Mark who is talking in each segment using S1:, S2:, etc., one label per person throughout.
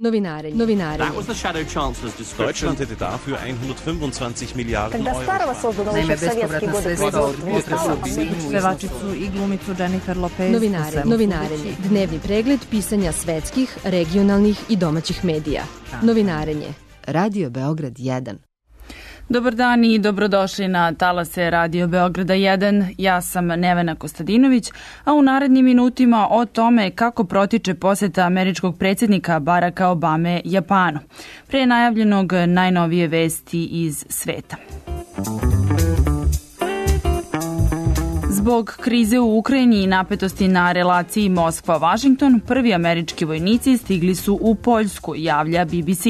S1: Novinari.
S2: That was the Shadow Chancellor's description.
S3: Deutschland hätte dafür 125 Milijarden
S4: Когда старого создано еще в советские годы производства.
S5: Pevačicu i glumicu Jennifer Lopez.
S1: Novinarenje. Dnevni pregled pisanja svetskih, regionalnih i domaćih medija. Novinarenje. Radio Beograd 1.
S5: Dobar dan i dobrodošli na talase Radio Beograda 1. Ja sam Nevena Kostadinović, a u narednim minutima o tome kako protiče poseta američkog predsjednika Baracka Obame Japanu. Pre najavljenog najnovije vesti iz sveta. Zbog krize u Ukrajini i napetosti na relaciji Moskva-Vašington, prvi američki vojnici stigli su u Poljsku, javlja BBC.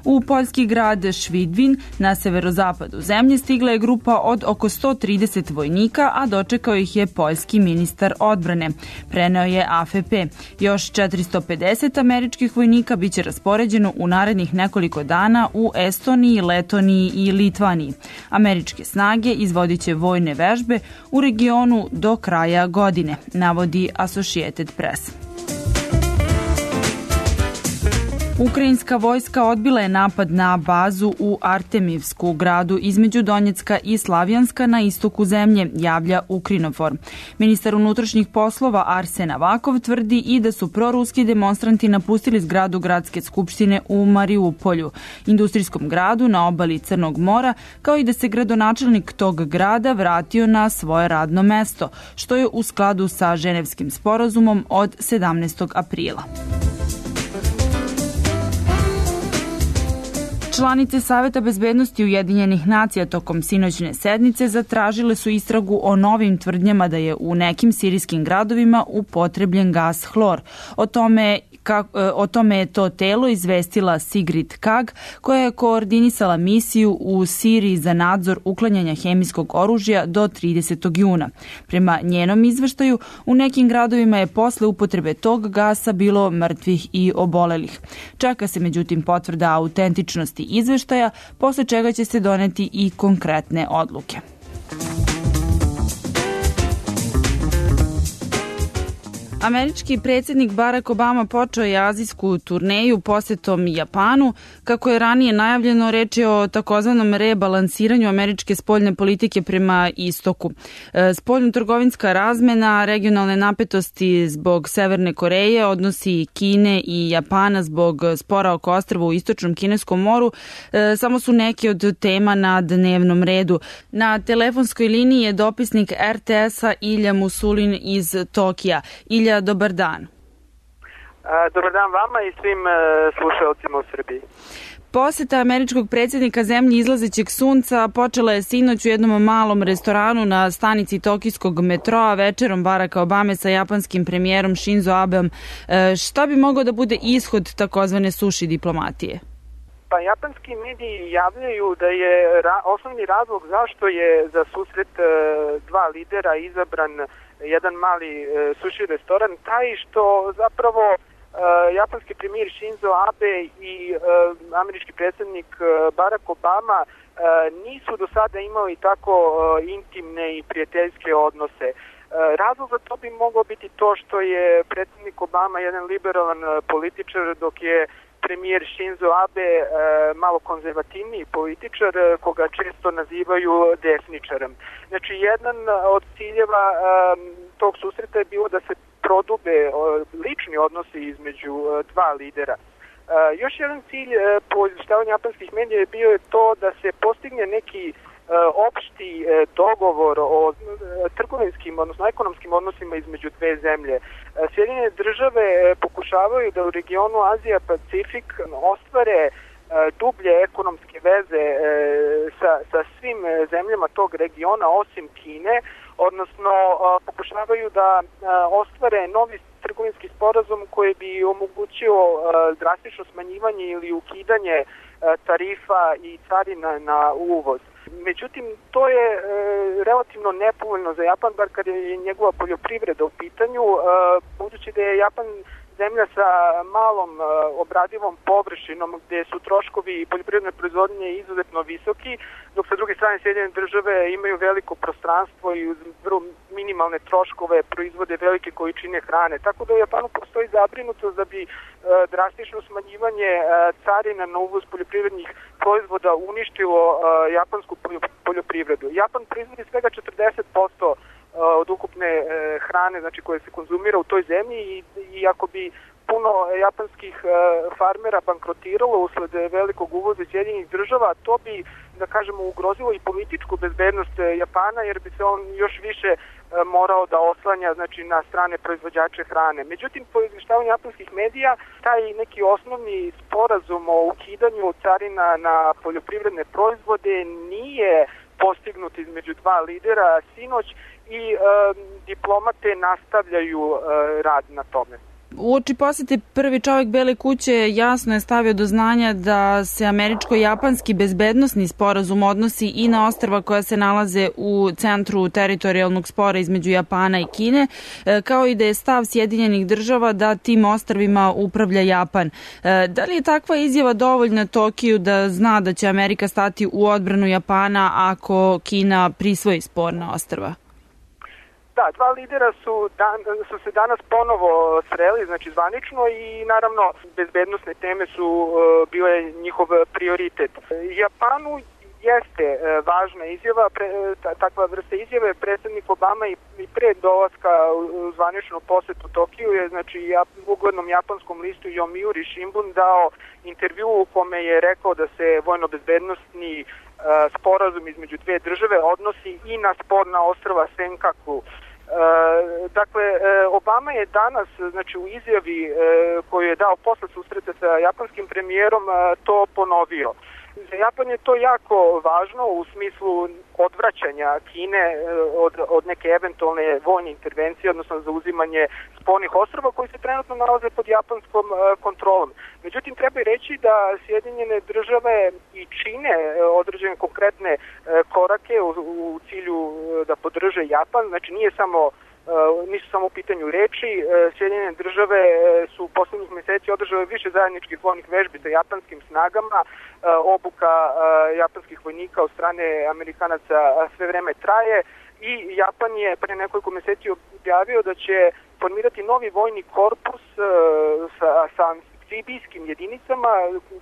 S5: U poljski grad Švidvin na severozapadu zemlje stigla je grupa od oko 130 vojnika, a dočekao ih je poljski ministar odbrane. Preneo je AFP. Još 450 američkih vojnika biće raspoređeno u narednih nekoliko dana u Estoniji, Letoniji i Litvaniji. Američke snage izvodit će vojne vežbe u regionu do kraja godine, navodi Associated Press. Ukrajinska vojska odbila je napad na bazu u Artemivsku, gradu između Donjecka i Slavjanska na istoku zemlje, javlja Ukrinofor. Ministar unutrašnjih poslova Arsen Avakov tvrdi i da su proruski demonstranti napustili zgradu gradske skupštine u Mariupolju, industrijskom gradu na obali Crnog mora, kao i da se gradonačelnik tog grada vratio na svoje radno mesto, što je u skladu sa Ženevskim sporazumom od 17. aprila. Članice Saveta bezbednosti Ujedinjenih nacija tokom sinoćne sednice zatražile su istragu o novim tvrdnjama da je u nekim sirijskim gradovima upotrebljen gas hlor. O tome je to telo izvestila Sigrid Kaag, koja je koordinisala misiju u Siriji za nadzor uklanjanja hemijskog oružja do 30. juna. Prema njenom izveštaju, u nekim gradovima je posle upotrebe tog gasa bilo mrtvih i obolelih. Čeka se međutim potvrda autentičnosti izveštaja, posle čega će se doneti i konkretne odluke. Američki predsjednik Barack Obama počeo je azijsku turneju posetom Japanu. Kako je ranije najavljeno, reč je o takozvanom rebalansiranju američke spoljne politike prema istoku. Spoljno-trgovinska razmena, regionalne napetosti zbog Severne Koreje, odnosi Kine i Japana zbog spora oko ostrva u istočnom kineskom moru, samo su neki od tema na dnevnom redu. Na telefonskoj liniji je dopisnik RTS-a Ilja Musulin iz Tokija. Ilja, dobar dan.
S6: Dobar dan vama i svim slušalcima u Srbiji.
S5: Poseta američkog predsjednika zemlji izlazećeg sunca počela je sinoć u jednom malom restoranu na stanici tokijskog metroa večerom Baracka Obame sa japanskim premijerom Shinzo Abeom. Šta bi mogao da bude ishod takozvane suši diplomatije?
S6: Pa japanski mediji javljaju da je osnovni razlog zašto je za susret dva lidera izabran jedan mali suši restoran taj što zapravo japanski premijer Shinzo Abe i američki predsjednik Barack Obama nisu do sada imali tako intimne i prijateljske odnose. Razlog za to bi moglo biti to što je predsjednik Obama jedan liberalan političar, dok je premijer Shinzo Abe malo konzervativniji političar koga često nazivaju desničarem. Znači, jedan od ciljeva tog susreta je bilo da se prodube lični odnosi između dva lidera. Još jedan cilj po izvještavanju japanskih medija je bio to da se postigne neki opšti dogovor o trgovinskim, odnosno ekonomskim odnosima između dve zemlje. Sjedinjene države pokušavaju da u regionu Azija-Pacifik ostvare dublje ekonomske veze sa svim zemljama tog regiona osim Kine, odnosno pokušavaju da ostvare novi trgovinski sporazum koji bi omogućio drastično smanjivanje ili ukidanje tarifa i carina na uvoz. Međutim, to je relativno nepovoljno za Japan, bar kad je njegova poljoprivreda u pitanju, budući da je Japan zemlja sa malom obradivom površinom gde su troškovi poljoprivredne proizvodnje izuzetno visoki, dok sa druge strane Sjedinjene države imaju veliko prostranstvo i uz vrlo minimalne troškove proizvode velike količine hrane. Tako da u Japanu postoji zabrinutost da bi drastično smanjivanje carina na uvoz poljoprivrednih proizvoda uništilo japansku poljoprivredu. Japan proizvodi svega 40% od ukupne hrane, znači koje se konzumira u toj zemlji i ako bi puno japanskih farmera bankrotiralo usled velikog uvoza Sjedinjenih država, to bi, da kažemo, ugrozilo i političku bezbednost Japana, jer bi se on još više morao da oslanja, znači, na strane proizvođače hrane. Međutim, po izvještavanju japanskih medija, taj neki osnovni sporazum o ukidanju carina na poljoprivredne proizvode nije postignut između dva lidera sinoć i diplomate nastavljaju rad na tome.
S5: Uoči posete prvi čovjek Bele kuće jasno je stavio do znanja da se američko-japanski bezbednosni sporazum odnosi i na ostrva koja se nalaze u centru teritorijalnog spora između Japana i Kine, kao i da je stav Sjedinjenih država da tim ostrvima upravlja Japan. Da li je takva izjava dovoljna Tokiju da zna da će Amerika stati u odbranu Japana ako Kina prisvoji sporna ostrva?
S6: Da, dva lidera su se danas ponovo sreli, znači zvanično, i naravno bezbednosne teme su bile njihov prioritet. Japanu jeste važna izjava, takva vrsta izjave. Predsjednik Obama i pre dolaska u zvaničnu posetu Tokiju je, znači, uglednom japanskom listu Yomiuri Shimbun dao intervju u kome je rekao da se vojno-bezbednosni sporazum između dve države odnosi i na sporna ostrva Senkaku. Dakle, Obama je danas, znači, u izjavi koju je dao posle susreta sa japanskim premijerom, to ponovio. Za Japan je to jako važno u smislu odvraćanja Kine od neke eventualne vojne intervencije, odnosno zauzimanje spornih ostrva koji se trenutno nalaze pod japanskom kontrolom. Međutim, treba i reći da Sjedinjene države i čine određene konkretne korake u cilju da podrže Japan, znači nisu samo u pitanju reči. Sjedinjene države su u poslednjih meseci održale više zajedničkih vojnih vežbi sa japanskim snagama. Obuka japanskih vojnika od strane Amerikanaca sve vreme traje i Japan je pre nekoliko meseci objavio da će formirati novi vojni korpus sa amfibijskim jedinicama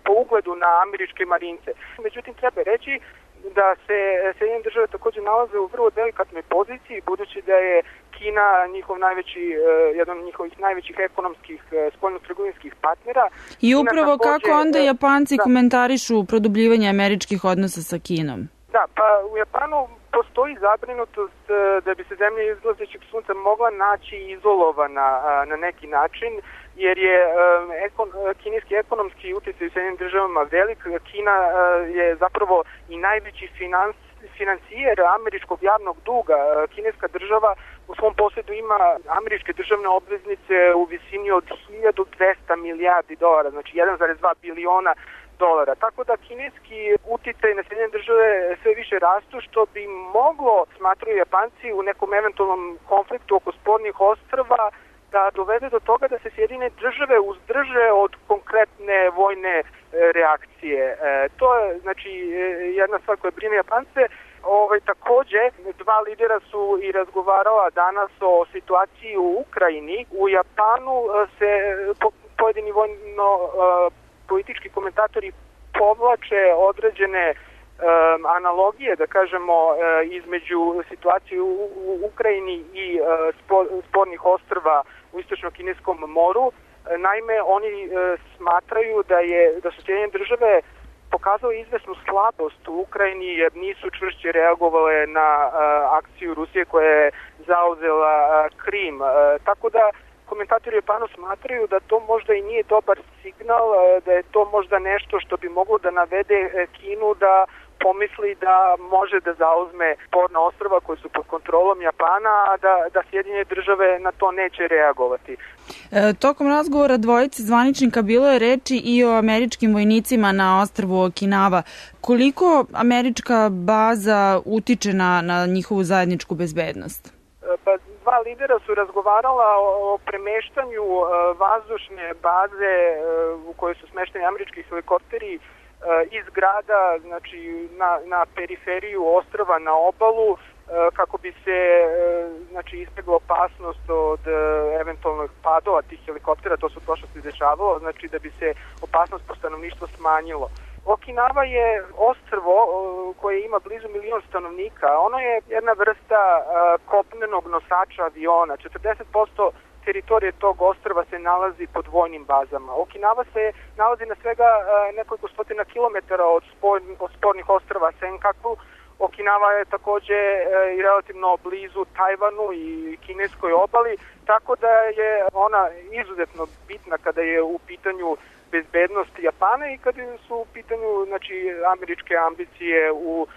S6: po ugledu na američke marince. Međutim, treba reći da se Sjedinjene države takođe nalaze u vrlo delikatnoj poziciji, budući da je Kina jedan od njihovih najvećih ekonomskih spoljno-trgovinskih partnera. I
S5: upravo kako onda Japanci komentarišu produbljivanje američkih odnosa sa Kinom?
S6: Da, pa u Japanu postoji zabrinutost da bi se zemlja izlazećeg sunca mogla naći izolovana na neki način, jer je kineski ekonomski utjecaj u Sjedinjenim državama velik. Kina je zapravo i najveći financijer američkog javnog duga. Kineska država u svom posjedu ima američke državne obveznice u visini od 1200 milijardi dolara, znači 1,2 biliona dolara. Tako da kineski uticaj na Sjedinjene države sve više rastu, što bi moglo, smatraju Japanci, u nekom eventualnom konfliktu oko spornih ostrva da dovede do toga da se Sjedinjene države uzdrže od konkretne vojne reakcije. To je, znači, jedna stvar koja brine Japance. Takođe, dva lidera su i razgovarala danas o situaciji u Ukrajini. U Japanu se pojedini vojno-politički komentatori povlače određene analogije, da kažemo, između situacije u Ukrajini i spornih ostrva u istočno-kineskom moru. Naime, oni smatraju da su Sjedinjene države pokazali izvesnu slabost u Ukrajini jer nisu čvršće reagovale na akciju Rusije koja je zauzela Krim. Tako da komentatori Japanu smatraju da to možda i nije dobar signal, da je to možda nešto što bi moglo da navede Kinu da pomisli da može da zauzme sporna ostrva koje su pod kontrolom Japana, a da Sjedinjene države na to neće reagovati.
S5: Tokom razgovora dvojice zvaničnika bilo je reči i o američkim vojnicima na ostrvu Okinawa. Koliko američka baza utiče na njihovu zajedničku bezbednost?
S6: Pa dva lidera su razgovarala o premeštanju vazdušne baze u kojoj su smešteni američki helikopteri iz grada, znači na periferiju ostrva na obalu, kako bi se izbjegla opasnost od eventualnog padova tih helikoptera. To se u prošlosti dešavalo, znači da bi se opasnost po stanovništvo smanjilo. Okinawa je ostrvo koje ima blizu 1 milion stanovnika. Ono je jedna vrsta kopnenog nosača aviona. 40% teritorije tog ostrva se nalazi pod vojnim bazama. Okinawa se nalazi na svega nekoliko stotina kilometara od spornih ostrva Senkaku. Okinawa je takođe i relativno blizu Tajvanu i kineskoj obali, tako da je ona izuzetno bitna kada je u pitanju bezbednost Japana i kada su u pitanju američke ambicije u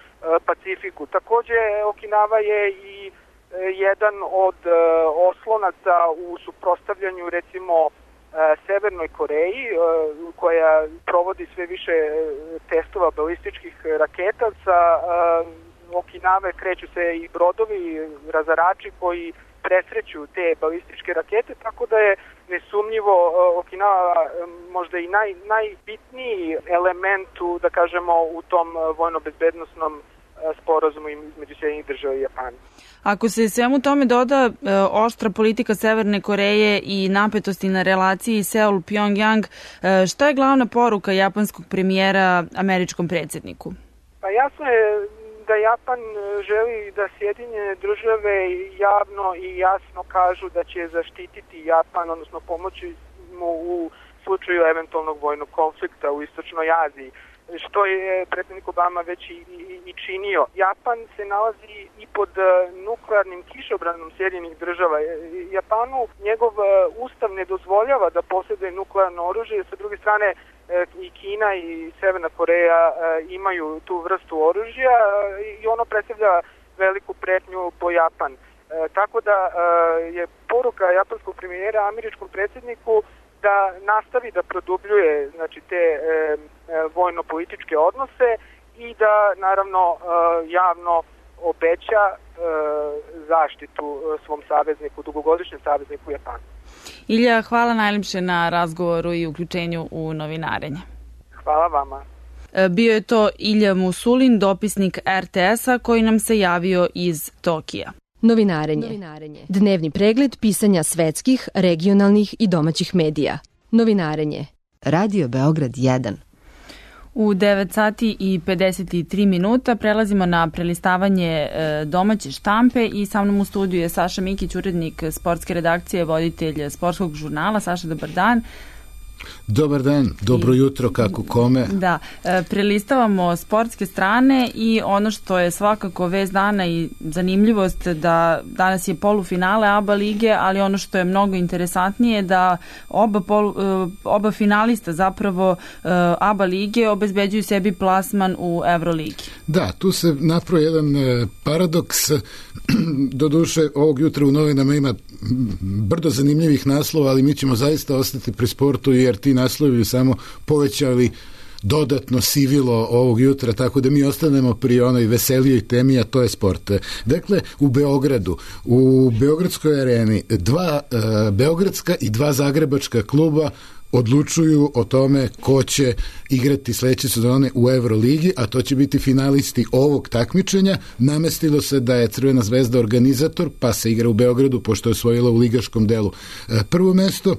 S6: Pacifiku. Takođe, Okinawa je i jedan od oslonaca u suprotstavljanju recimo Severnoj Koreji, koja provodi sve više testova balističkih raketa. Sa Okinawe kreću se i brodovi, razarači koji presreću te balističke rakete, tako da je nesumnjivo Okinawa možda i najbitniji element da kažemo u tom vojno-bezbednosnom sporazumu između Sjedinjenih Država i Japana.
S5: Ako se svemu tome doda oštra politika Severne Koreje i napetosti na relaciji Seul-Pyongyang, šta je glavna poruka japanskog premijera američkom predsjedniku?
S6: Pa jasno je da Japan želi da Sjedinjene Države javno i jasno kažu da će zaštititi Japan, odnosno pomoći mu u slučaju eventualnog vojnog konflikta u Istočnoj Aziji, što je predsjednik Obama već i činio. Japan se nalazi i pod nuklearnim kišobranom Sjedinjenih Država. Japanu njegov ustav ne dozvoljava da posjeduje nuklearno oružje, sa druge strane i Kina i Severna Koreja imaju tu vrstu oružja i ono predstavlja veliku pretnju po Japan. Tako da je poruka japanskog premijera američkom predsjedniku da nastavi da produbljuje te vojno-političke odnose i da naravno javno obeća zaštitu svom savezniku, dugogodišnjem savezniku Japanu.
S5: Ilja, hvala najljepše na razgovoru i uključenju u novinarenje.
S6: Hvala vama.
S5: Bio je to Ilja Musulin, dopisnik RTS-a koji nam se javio iz Tokija.
S1: Novinarenje. Dnevni pregled pisanja svetskih, regionalnih i domaćih medija. Novinarenje. Radio Beograd 1.
S5: U 9 sati i 53 minuta prelazimo na prelistavanje domaće štampe i sa mnom u studiju je Saša Mikić, urednik sportske redakcije, voditelj sportskog žurnala. Saša, dobar dan.
S7: Dobar dan, dobro jutro, kako kome.
S5: Da, prelistavamo sportske strane i ono što je svakako vest dana i zanimljivost da danas je polufinale ABA lige, ali ono što je mnogo interesantnije da oba finalista zapravo ABA lige obezbeđuju sebi plasman u Euroligi.
S7: Da, tu se napravio jedan paradoks. Doduše, ovog jutra u novinama ima brdo zanimljivih naslova, ali mi ćemo zaista ostati pri sportu jer ti naslovi bi samo povećali dodatno sivilo ovog jutra, tako da mi ostanemo pri onoj veselijoj temi, a to je sport. Dakle, u Beogradu, u Beogradskoj areni, 2 beogradska i 2 zagrebačka kluba odlučuju o tome ko će igrati sledeće sezone u Euroligi, a to će biti finalisti ovog takmičenja. Namestilo se da je Crvena zvezda organizator, pa se igra u Beogradu, pošto je osvojila u ligaškom delu prvo mesto.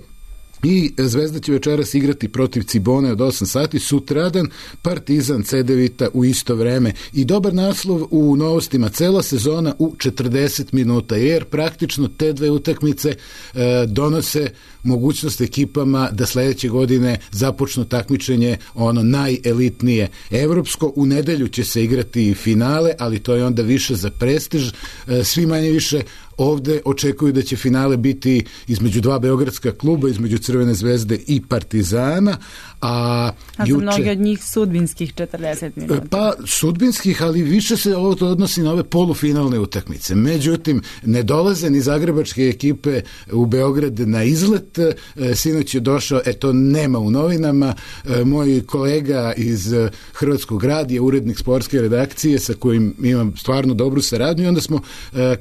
S7: I Zvezda će večeras igrati protiv Cibone od 8 sati, sutradan Partizan Cedevita u isto vreme. I dobar naslov u novostima, cela sezona u 40 minuta, jer praktično te dve utakmice donose mogućnost ekipama da sledeće godine započnu takmičenje ono najelitnije evropsko. U nedelju će se igrati finale, ali to je onda više za prestiž. Svi manje više ovde očekuju da će finale biti između 2 beogradska kluba, između Crvene zvezde i Partizana, a
S5: za mnogi od njih sudbinskih 40 minuta.
S7: Pa sudbinskih, ali više se ovo to odnosi na ove polufinalne utakmice. Međutim, ne dolaze ni zagrebačke ekipe u Beograd na izlet. Sinoć je došao, to nema u novinama, moj kolega iz Hrvatskog radija, urednik sportske redakcije sa kojim imam stvarno dobru saradnju, i onda smo,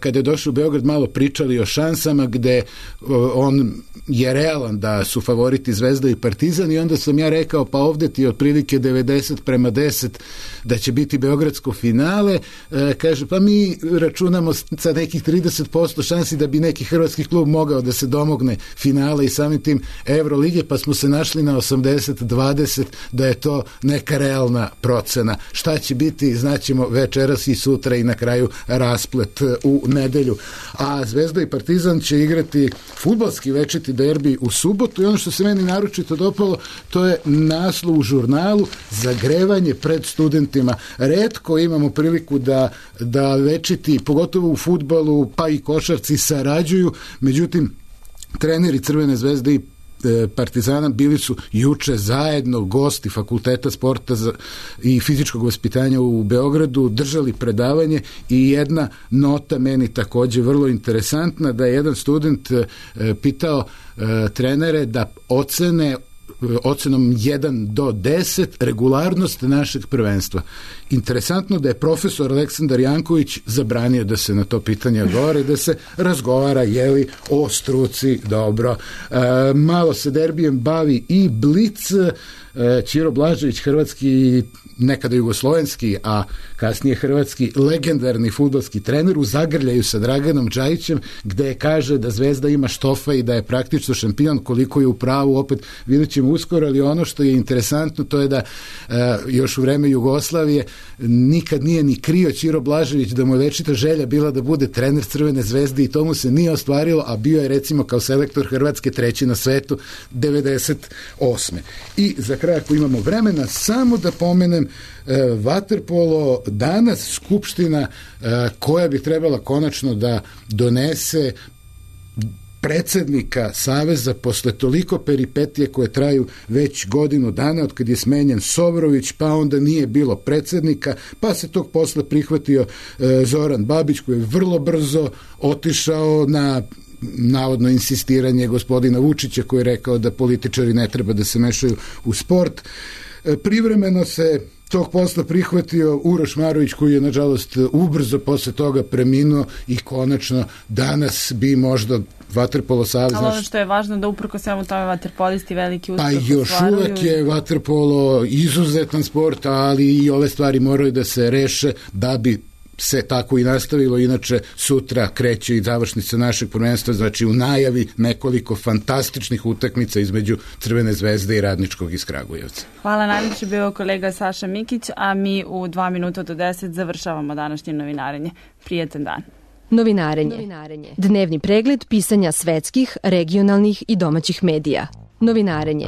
S7: kada je došao u Beograd, sad malo pričali o šansama gde on je realan da su favoriti Zvezda i Partizan i onda sam ja rekao pa ovde ti otprilike 90:10 da će biti beogradsko finale, kaže pa mi računamo sa nekih 30% šansi da bi neki hrvatski klub mogao da se domogne finale i samim tim Evrolige, pa smo se našli na 80:20 da je to neka realna procena. Šta će biti, znaćemo večeras i sutra i na kraju rasplet u nedelju. A Zvezda i Partizan će igrati fudbalski večiti derbi u subotu i ono što se meni naročito dopalo, to je naslov u žurnalu zagrevanje pred studentima. Retko imamo priliku da večiti, pogotovo u fudbalu, pa i košarci sarađuju, međutim treneri Crvene zvezde i Partizana bili su juče zajedno gosti Fakulteta sporta i fizičkog vaspitanja u Beogradu, držali predavanje i jedna nota meni takođe vrlo interesantna, da je jedan student pitao trenere da ocene ocenom 1 do 10 regularnost našeg prvenstva. Interesantno da je profesor Aleksandar Janković zabranio da se na to pitanje odgovara i da se razgovara o struci. Dobro. Malo se derbijem bavi i Blic. Ćiro Blažević, hrvatski, nekada jugoslovenski, a kasnije hrvatski legendarni fudbalski trener, u zagrljaju sa Draganom Džajićem, gde kaže da Zvezda ima štofa i da je praktično šampion. Koliko je u pravu, opet vidjet ćemo uskoro, ali ono što je interesantno to je da još u vreme Jugoslavije nikad nije ni krio Ćiro Blažević da mu je večita želja bila da bude trener Crvene zvezde i to mu se nije ostvarilo, a bio je recimo kao selektor Hrvatske 3. na svetu 98. I za kraj, ako imamo vremena, samo da pomenem vaterpolo, danas skupština koja bi trebala konačno da donese predsednika Saveza posle toliko peripetije koje traju već godinu dana, od kad je smenjen Sobrović, pa onda nije bilo predsednika, pa se tog posle prihvatio Zoran Babić, koji je vrlo brzo otišao na navodno insistiranje gospodina Vučića, koji je rekao da političari ne treba da se mešaju u sport. Privremeno se tog posla prihvatio Uroš Marović, koji je nažalost ubrzo posle toga preminuo i konačno danas bi možda vaterpolo savez...
S5: Ali ono što je važno da uprko svemu tome vaterpolisti veliki uspeh
S7: ostvaruju. Pa još uvek je vaterpolo izuzetan sport, ali i ove stvari moraju da se reše da bi se tako i nastavilo, inače sutra kreće i završnica našeg prvenstva, znači u najavi nekoliko fantastičnih utakmica između Crvene zvezde i Radničkog iz Kragujevca.
S5: Hvala, najljepše bio kolega Saša Mikić, a mi u 2:50 završavamo današnje novinarenje. Prijetan dan.
S1: Novinarenje. Dnevni pregled pisanja svetskih, regionalnih i domaćih medija. Novinarenje.